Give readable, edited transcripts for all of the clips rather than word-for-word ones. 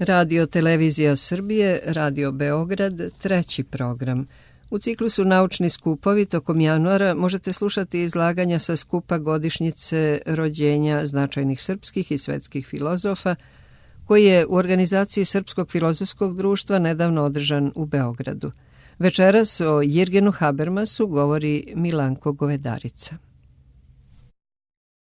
Radio Televizija Srbije, Radio Beograd, treći program. U ciklusu Naučni skupovi tokom januara možete slušati izlaganja sa skupa godišnjice rođenja značajnih srpskih i svetskih filozofa, koji je u organizaciji Srpskog filozofskog društva nedavno održan u Beogradu. Večeras o Jirgenu Habermasu govori Milanko Govedarica.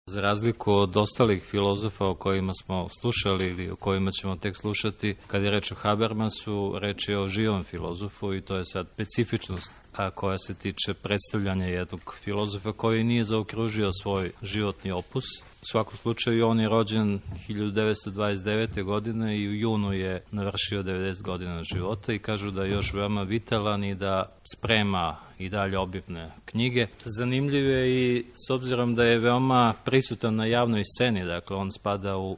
Za razliku od ostalih filozofa o kojima smo slušali ili o kojima ćemo tek slušati, kad je reč o Habermasu, reč je o živom filozofu i to je sad specifičnost koja se tiče predstavljanja jednog filozofa koji nije zaokružio svoj životni opus. U svakom slučaju on je rođen 1929. godine i u junu je navršio 90 godina života i kažu da je još veoma vitalan i da sprema i dalje obimne knjige. Zanimljiv je i s obzirom da je veoma prisutan na javnoj sceni, dakle on spada u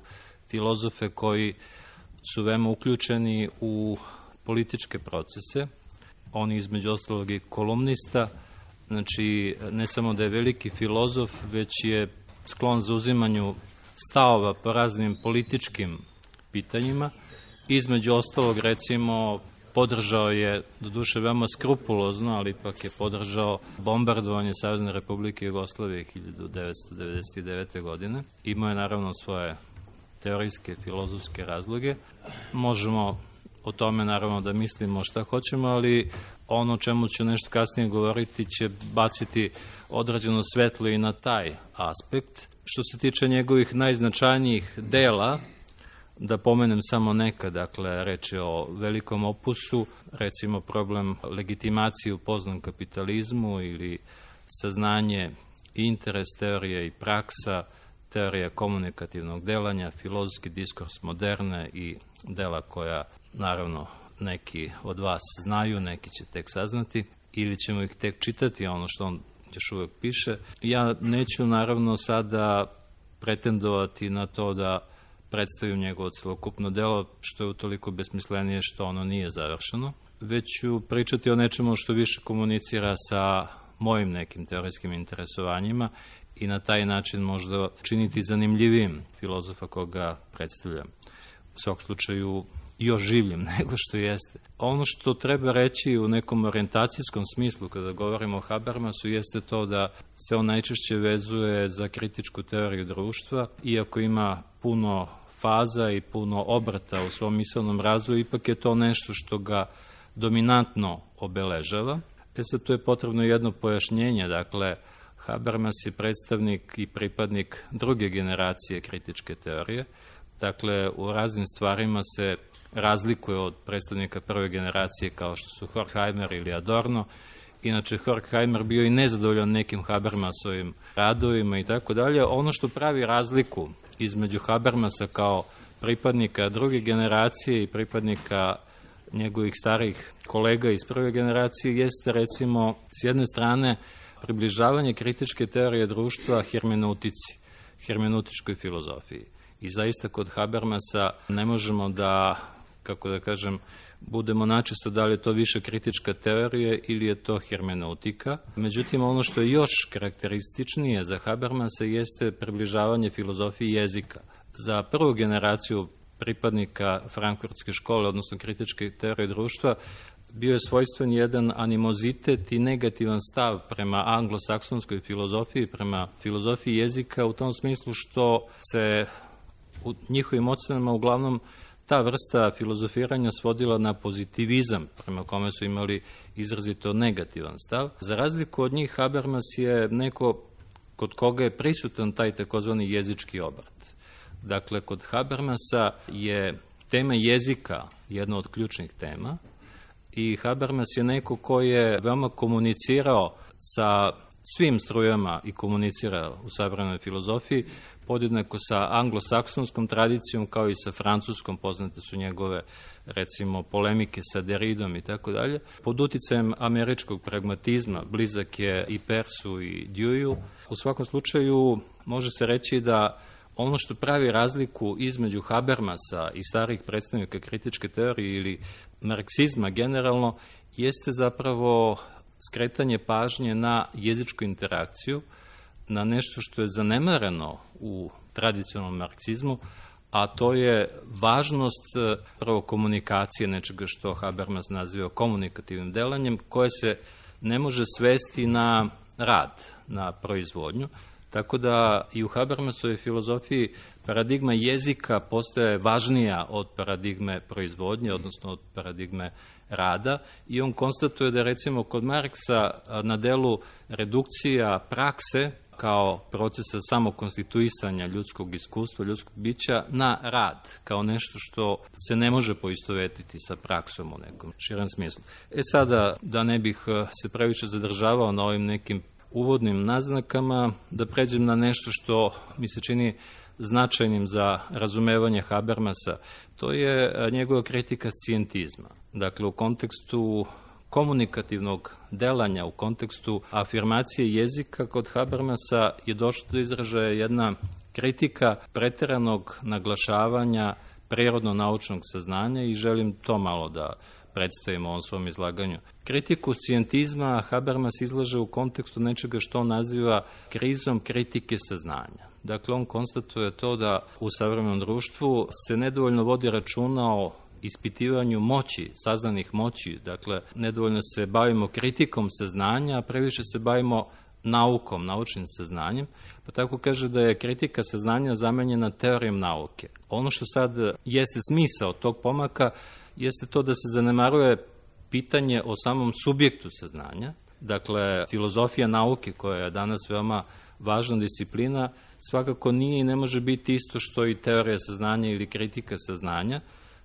filozofe koji su veoma uključeni u političke procese. On je između ostalog i kolumnista, znači ne samo da je veliki filozof, već je sklon zauzimanju stavova po raznim političkim pitanjima. Između ostalog, recimo, podržao je, doduše veoma skrupulozno, ali ipak je podržao bombardovanje Savezne Republike Jugoslavije 1999. godine. Imao je naravno svoje teorijske, filozofske razloge. Možemo o tome naravno da mislimo šta hoćemo, ali ono o čemu ću nešto kasnije govoriti će baciti određeno svetlo i na taj aspekt. Što se tiče njegovih najznačajnijih dela, da pomenem samo neka, dakle, reč je o velikom opusu, recimo problem legitimacije u poznom kapitalizmu ili saznanje i interes teorije i praksa, teorija komunikativnog delanja, filozofski diskurs moderne i dela koja, naravno, neki od vas znaju, neki će tek saznati ili ćemo ih tek čitati, ono što on još uvijek piše. Ja neću, naravno, sada pretendovati na to da predstavim njegovo celokupno delo, što je utoliko besmislenije što ono nije završeno, već ću pričati o nečemu što više komunicira sa mojim nekim teorijskim interesovanjima i na taj način možda činiti zanimljivijim filozofa koga predstavljam. U svakom slučaju još življem nego što jeste. Ono što treba reći u nekom orijentacijskom smislu kada govorimo o Habermasu jeste to da se on najčešće vezuje za kritičku teoriju društva, iako ima puno faza i puno obrata u svom misaonom razvoju, ipak je to nešto što ga dominantno obeležava. Sad tu je potrebno jedno pojašnjenje, dakle, Habermas je predstavnik i pripadnik druge generacije kritičke teorije. Dakle, u raznim stvarima se razlikuje od predstavnika prve generacije kao što su Horkheimer ili Adorno. Inače, Horkheimer bio i nezadovoljan nekim Habermasovim radovima i tako dalje. Ono što pravi razliku između Habermasa kao pripadnika druge generacije i pripadnika njegovih starih kolega iz prve generacije jeste, recimo, s jedne strane približavanje kritičke teorije društva hermeneutičkoj filozofiji. I zaista kod Habermasa ne možemo da, kako da kažem, budemo načisto da li je to više kritička teorija ili je to hermeneutika. Međutim, ono što je još karakterističnije za Habermasa jeste približavanje filozofiji jezika. Za prvu generaciju pripadnika frankfurtske škole, odnosno kritičke teorije društva, bio je svojstven jedan animozitet i negativan stav prema anglosaksonskoj filozofiji, prema filozofiji jezika, u tom smislu što se u njihovim ocenama uglavnom ta vrsta filozofiranja svodila na pozitivizam, prema kome su imali izrazito negativan stav. Za razliku od njih, Habermas je neko kod koga je prisutan taj takozvani jezički obrt. Dakle, kod Habermasa je tema jezika jedna od ključnih tema i Habermas je neko koji je veoma komunicirao sa svim strujama i komunicira u savremenoj filozofiji, podjednako sa anglosaksonskom tradicijom kao i sa francuskom, poznate su njegove, recimo, polemike sa Derridom i tako dalje. Pod uticajem američkog pragmatizma, blizak je i Persu i Deweyu. U svakom slučaju može se reći da ono što pravi razliku između Habermasa i starih predstavnika kritičke teorije ili marksizma generalno jeste zapravo skretanje pažnje na jezičku interakciju, na nešto što je zanemareno u tradicionalnom marksizmu, a to je važnost prvo komunikacije, nečega što Habermas naziva komunikativnim delanjem, koje se ne može svesti na rad, na proizvodnju. Tako da i u Habermasovoj filozofiji paradigma jezika postaje važnija od paradigme proizvodnje, odnosno od paradigme rada, i on konstatuje da recimo kod Marksa na delu redukcija prakse kao procesa samokonstituisanja ljudskog iskustva, ljudskog bića na rad, kao nešto što se ne može poistovetiti sa praksom u nekom širem smislu. Sada, da ne bih se previše zadržavao na ovim nekim uvodnim naznakama, da pređem na nešto što mi se čini značajnim za razumevanje Habermasa, to je njegova kritika scijentizma. Dakle, u kontekstu komunikativnog delanja, u kontekstu afirmacije jezika, kod Habermasa je došlo do izražaja jedna kritika preteranog naglašavanja prirodno-naučnog saznanja i želim to malo da predstavimo u ovom svom izlaganju. Kritiku scijentizma Habermas izlaže u kontekstu nečega što on naziva krizom kritike saznanja. Dakle, on konstatuje to da u savremenom društvu se nedovoljno vodi računa o ispitivanju moći, saznanih moći. Dakle, nedovoljno se bavimo kritikom saznanja, a previše se bavimo naukom, naučnim saznanjem, pa tako kaže da je kritika saznanja zamenjena teorijom nauke. Ono što sad jeste smisao tog pomaka jeste to da se zanemaruje pitanje o samom subjektu saznanja. Dakle, filozofija nauke, koja je danas veoma važna disciplina, svakako nije i ne može biti isto što i teorija saznanja ili kritika saznanja,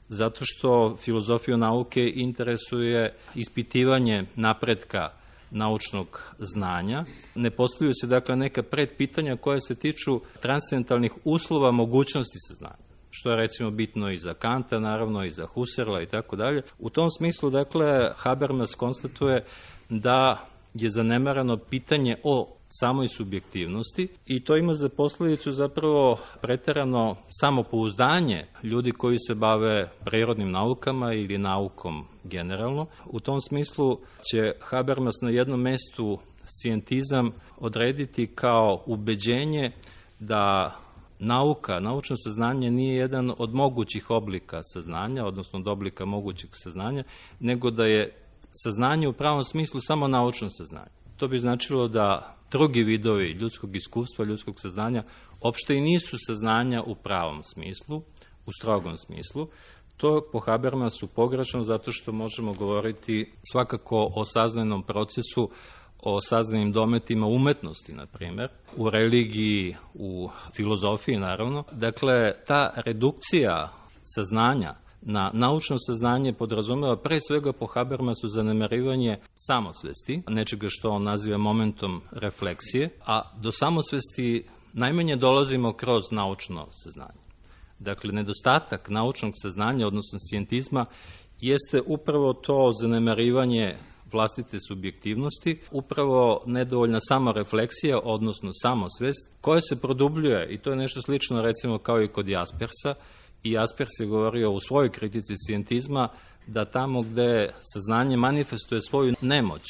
zato što filozofiju nauke interesuje ispitivanje napretka naučnog znanja. Ne postavljaju se dakle neka predpitanja koja se tiču transcendentalnih uslova mogućnosti saznanja, što je recimo bitno i za Kanta, naravno i za Husserla i tako dalje. U tom smislu, dakle, Habermas konstatuje da je zanemarano pitanje o samoj subjektivnosti i to ima za posljedicu zapravo preterano samopouzdanje ljudi koji se bave prirodnim naukama ili naukom generalno. U tom smislu će Habermas na jednom mestu scijentizam odrediti kao ubeđenje da nauka, naučno saznanje nije jedan od mogućih oblika saznanja, odnosno od oblika mogućeg saznanja, nego da je saznanje u pravom smislu samo naučno saznanje. To bi značilo da drugi vidovi ljudskog iskustva, ljudskog saznanja, opšte i nisu saznanja u pravom smislu, u strogom smislu. To po Habermasu pogrešno zato što možemo govoriti svakako o saznajnom procesu, o saznajnim dometima umetnosti, na primjer, u religiji, u filozofiji, naravno. Dakle, ta redukcija saznanja na naučno saznanje podrazumeva pre svega po Habermasu zanemarivanje samosvesti, nečega što on naziva momentom refleksije, a do samosvesti najmanje dolazimo kroz naučno saznanje. Dakle, nedostatak naučnog saznanja, odnosno scijentizma, jeste upravo to zanemarivanje vlastite subjektivnosti, upravo nedovoljna samorefleksija, odnosno samosvest, koja se produbljuje, i to je nešto slično recimo kao i kod Jaspersa, i Jaspers je govorio u svojoj kritici scijentizma da tamo gde saznanje manifestuje svoju nemoć,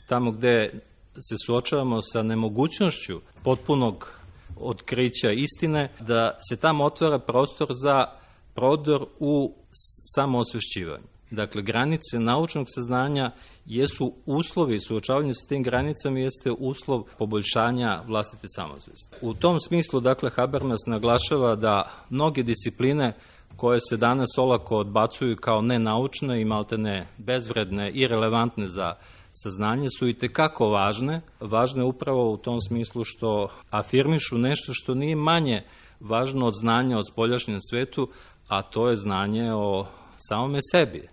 tamo gde se suočavamo sa nemogućnošću potpunog otkrića istine, da se tamo otvara prostor za prodor u samoosvešćivanje. Dakle, granice naučnog saznanja jesu uslovi, suočavanje sa tim granicama jeste uslov poboljšanja vlastite samosvesti. U tom smislu, dakle, Habermas naglašava da mnoge discipline koje se danas olako odbacuju kao nenaučne i maltene bezvredne i relevantne za saznanje su i tekako važne. Važne upravo u tom smislu što afirmišu nešto što nije manje važno od znanja o spoljašnjem svetu, a to je znanje o samome sebi,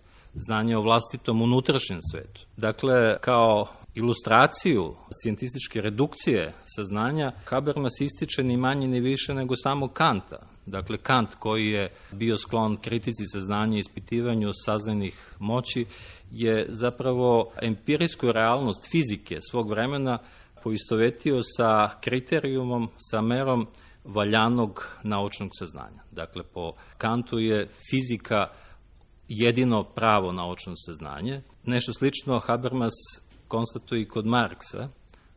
znanje o vlastitom unutrašnjem svetu. Dakle, kao ilustraciju scijentističke redukcije saznanja, Habermas ističe ni manje ni više nego samo Kanta. Dakle, Kant koji je bio sklon kritici saznanja i ispitivanju saznajnih moći je zapravo empirijsku realnost fizike svog vremena poistovetio sa kriterijumom, sa merom valjanog naučnog saznanja. Dakle, po Kantu je fizika jedino pravo naučno saznanje. Nešto slično Habermas konstatuje i kod Marksa.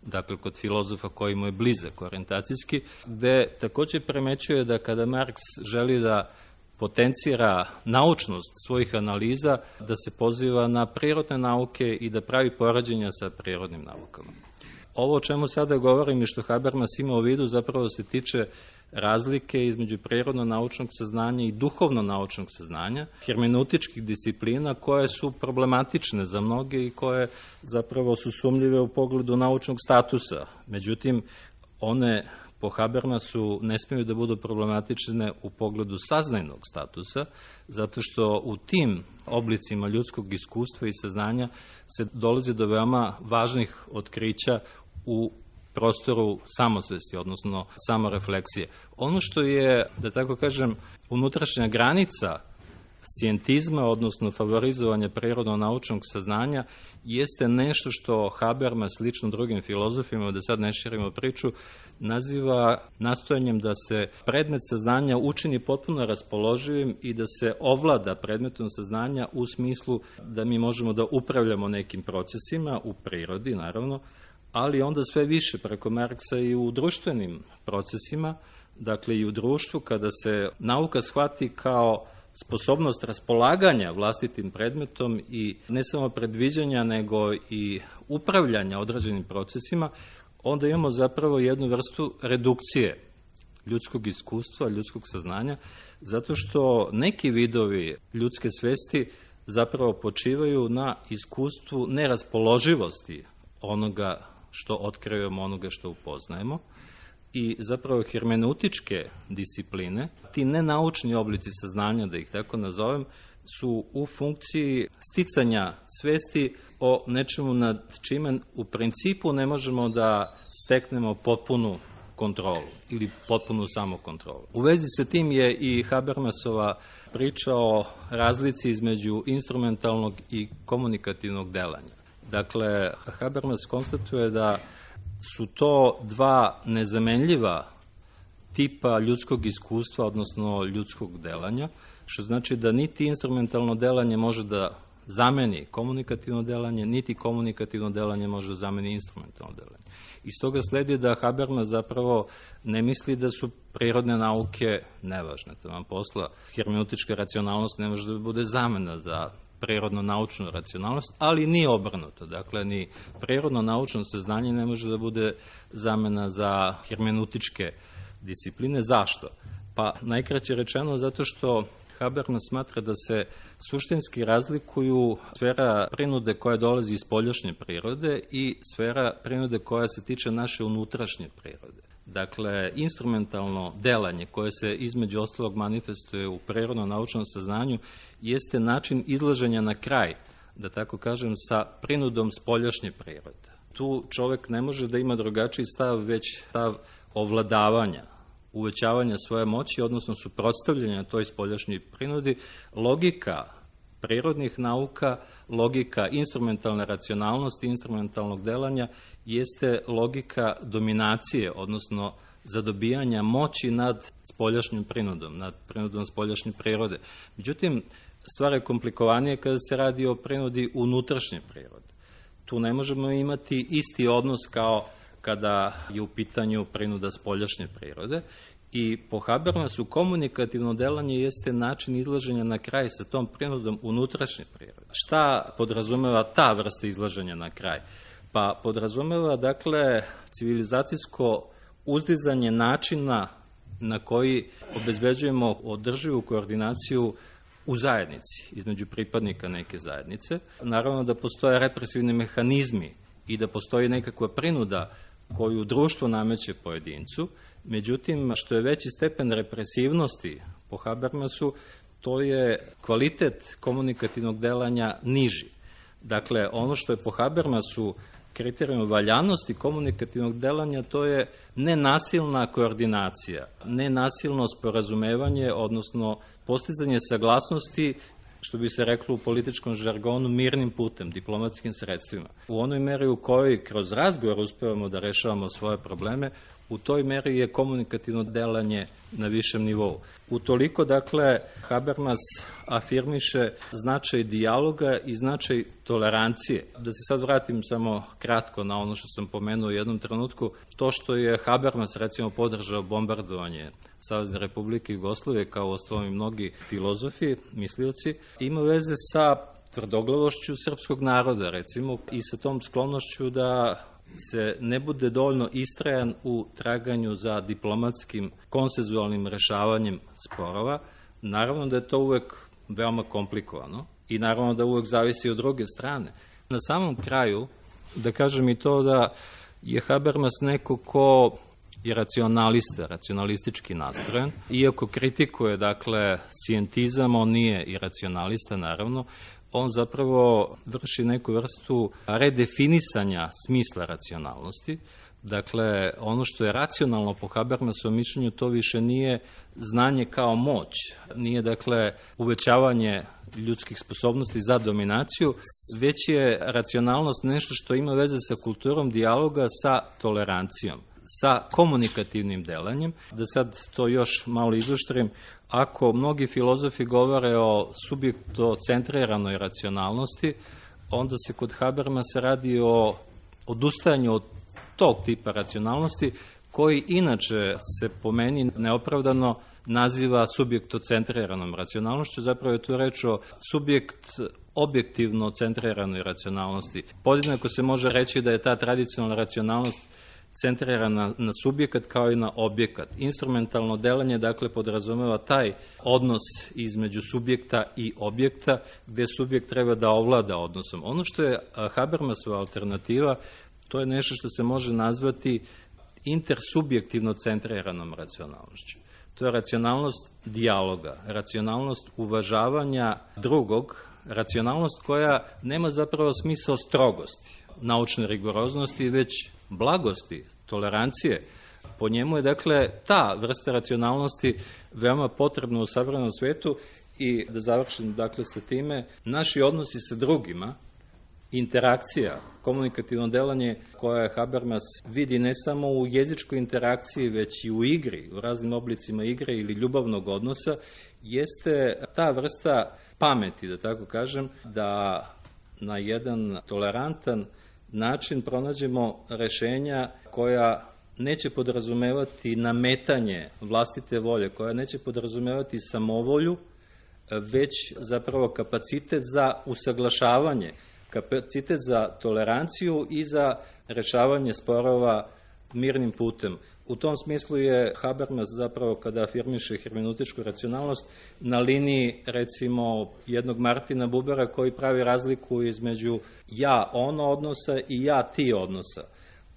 dakle kod filozofa koji mu je blizak orijentacijski, gde takođe primećuje da kada Marks želi da potencira naučnost svojih analiza, da se poziva na prirodne nauke i da pravi poređenja sa prirodnim naukama. Ovo o čemu sada govorim i što Habermas ima u vidu zapravo se tiče razlike između prirodno-naučnog saznanja i duhovno-naučnog saznanja, hermeneutičkih disciplina koje su problematične za mnoge i koje zapravo su sumnjive u pogledu naučnog statusa. Međutim, one po Habermasu ne smiju da budu problematične u pogledu saznajnog statusa, zato što u tim oblicima ljudskog iskustva i saznanja se dolazi do veoma važnih otkrića u prostoru samosvesti, odnosno samorefleksije. Ono što je, da tako kažem, unutrašnja granica scijentizma, odnosno favorizovanja prirodno-naučnog saznanja, jeste nešto što Habermas, slično drugim filozofima, da sad ne širimo priču, naziva nastojanjem da se predmet saznanja učini potpuno raspoloživim i da se ovlada predmetom saznanja u smislu da mi možemo da upravljamo nekim procesima u prirodi, naravno, ali onda sve više preko Marksa i u društvenim procesima, dakle i u društvu, kada se nauka shvati kao sposobnost raspolaganja vlastitim predmetom i ne samo predviđanja, nego i upravljanja određenim procesima, onda imamo zapravo jednu vrstu redukcije ljudskog iskustva, ljudskog saznanja, zato što neki vidovi ljudske svesti zapravo počivaju na iskustvu neraspoloživosti onoga što otkrivamo, onoga što upoznajemo. I zapravo hermeneutičke discipline, ti nenaučni oblici saznanja, da ih tako nazovem, su u funkciji sticanja svesti o nečemu nad čime u principu ne možemo da steknemo potpunu kontrolu ili potpunu samokontrolu. U vezi sa tim je i Habermasova priča o razlici između instrumentalnog i komunikativnog delanja. Dakle, Habermas konstatuje da su to dva nezamenljiva tipa ljudskog iskustva, odnosno ljudskog delanja, što znači da niti instrumentalno delanje može da zameni komunikativno delanje, niti komunikativno delanje može da zameni instrumentalno delanje. Iz toga sledi da Habermas zapravo ne misli da su prirodne nauke nevažne. Taman posla, hermeneutička racionalnost ne može da bude zamena za prirodno-naučnu racionalnost, ali ni obrnuto. Dakle, ni prirodno-naučno saznanje ne može da bude zamena za hermeneutičke discipline. Zašto? Pa najkraće rečeno zato što Habermas smatra da se suštinski razlikuju sfera prinude koja dolazi iz spoljašnje prirode i sfera prinude koja se tiče naše unutrašnje prirode. Dakle, instrumentalno delanje koje se između ostalog manifestuje u prirodno-naučnom saznanju jeste način izlaženja na kraj, da tako kažem, sa prinudom spoljašnje prirode. Tu čovek ne može da ima drugačiji stav, već stav ovladavanja, uvećavanja svoje moći, odnosno suprotstavljanja toj spoljašnjoj prinudi. Logika prirodnih nauka, logika instrumentalne racionalnosti, instrumentalnog delanja, jeste logika dominacije, odnosno zadobijanja moći nad spoljašnjom prinudom, nad prinudom spoljašnje prirode. Međutim, stvar je komplikovanije kada se radi o prinudi unutrašnje prirode. Tu ne možemo imati isti odnos kao kada je u pitanju prinuda spoljašnje prirode. I po Habermasu komunikativno delanje jeste način izlaženja na kraj sa tom prinudom unutrašnje prirode. Šta podrazumeva ta vrsta izlaženja na kraj? Pa podrazumeva, dakle, civilizacijsko uzdizanje načina na koji obezbeđujemo održivu koordinaciju u zajednici, između pripadnika neke zajednice. Naravno da postoje represivni mehanizmi i da postoji nekakva prinuda koju društvo nameće pojedincu. Međutim, što je veći stepen represivnosti po Habermasu, to je kvalitet komunikativnog delanja niži. Dakle, ono što je po Habermasu kriterijum valjanosti komunikativnog delanja, to je nenasilna koordinacija, nenasilno sporazumevanje, odnosno postizanje saglasnosti, što bi se reklo u političkom žargonu, mirnim putem, diplomatskim sredstvima. U onoj meri u kojoj kroz razgovor uspevamo da rešavamo svoje probleme, u toj meri je komunikativno delanje na višem nivou. Utoliko, dakle, Habermas afirmiše značaj dijaloga i značaj tolerancije. Da se sad vratim samo kratko na ono što sam pomenuo u jednom trenutku, to što je Habermas, recimo, podržao bombardovanje Savezne Republike Jugoslavije, kao uostalom i mnogi filozofi, mislioci, ima veze sa tvrdoglavošću srpskog naroda, recimo, i sa tom sklonošću da se ne bude dovoljno istrajan u traganju za diplomatskim, konsenzualnim rešavanjem sporova. Naravno da je to uvek veoma komplikovano i naravno da uvek zavisi od druge strane. Na samom kraju, da kažem i to da je Habermas neko ko je racionalista, racionalistički nastrojen. Iako kritikuje, dakle, scientizam, on nije i racionalista, naravno, on zapravo vrši neku vrstu redefinisanja smisla racionalnosti. Dakle, ono što je racionalno po Habermasovom mišljenju, to više nije znanje kao moć. Nije, dakle, uvećavanje ljudskih sposobnosti za dominaciju, već je racionalnost nešto što ima veze sa kulturom dijaloga, sa tolerancijom, sa komunikativnim delanjem. Da sad to još malo izoštrim, ako mnogi filozofi govore o subjektocentriranoj racionalnosti, onda se kod Habermasa radi o odustajanju od tog tipa racionalnosti, koji inače se po meni neopravdano naziva subjektocentriranom racionalnošću. Zapravo je tu reč o subjekt objektivno centriranoj racionalnosti. Podjednako se može reći da je ta tradicionalna racionalnost centrirana na subjekat kao i na objekat. Instrumentalno delanje, dakle, podrazumeva taj odnos između subjekta i objekta, gde subjekt treba da ovlada odnosom. Ono što je Habermasova alternativa, to je nešto što se može nazvati intersubjektivno centriranom racionalnošću. To je racionalnost dijaloga, racionalnost uvažavanja drugog, racionalnost koja nema zapravo smisao strogosti, naučne rigoroznosti, već blagosti, tolerancije. Po njemu je, dakle, ta vrsta racionalnosti veoma potrebna u savremenom svetu. I da završim, dakle, sa time, naši odnosi sa drugima, interakcija, komunikativno delanje koje Habermas vidi ne samo u jezičkoj interakciji, već i u igri, u raznim oblicima igre ili ljubavnog odnosa, jeste ta vrsta pameti, da tako kažem, da na jedan tolerantan način pronađemo rešenja koja neće podrazumevati nametanje vlastite volje, koja neće podrazumevati samovolju, već zapravo kapacitet za usaglašavanje, kapacitet za toleranciju i za rešavanje sporova mirnim putem. U tom smislu je Habermas zapravo, kada afirmiše hermeneutičku racionalnost, na liniji, recimo, jednog Martina Bubera koji pravi razliku između ja-ono odnosa i ja-ti odnosa.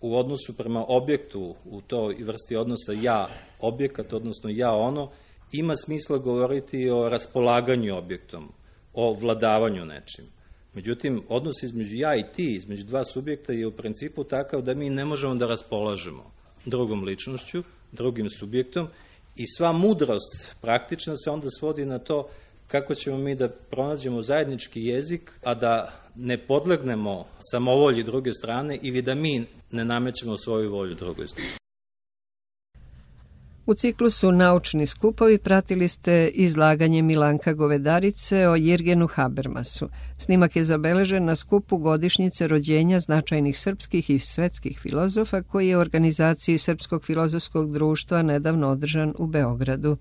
U odnosu prema objektu, u toj vrsti odnosa ja-objekat, odnosno ja-ono, ima smisla govoriti o raspolaganju objektom, o vladavanju nečim. Međutim, odnos između ja i ti, između dva subjekta, je u principu takav da mi ne možemo da raspolažemo drugom ličnošću, drugim subjektom, i sva mudrost praktična se onda svodi na to kako ćemo mi da pronađemo zajednički jezik, a da ne podlegnemo samovolji druge strane ili da mi ne namećemo svoju volju drugoj strani. U ciklusu Naučni skupovi pratili ste izlaganje Milanka Govedarice o Jirgenu Habermasu. Snimak je zabeležen na skupu godišnjice rođenja značajnih srpskih i svetskih filozofa koji je u organizaciji Srpskog filozofskog društva nedavno održan u Beogradu.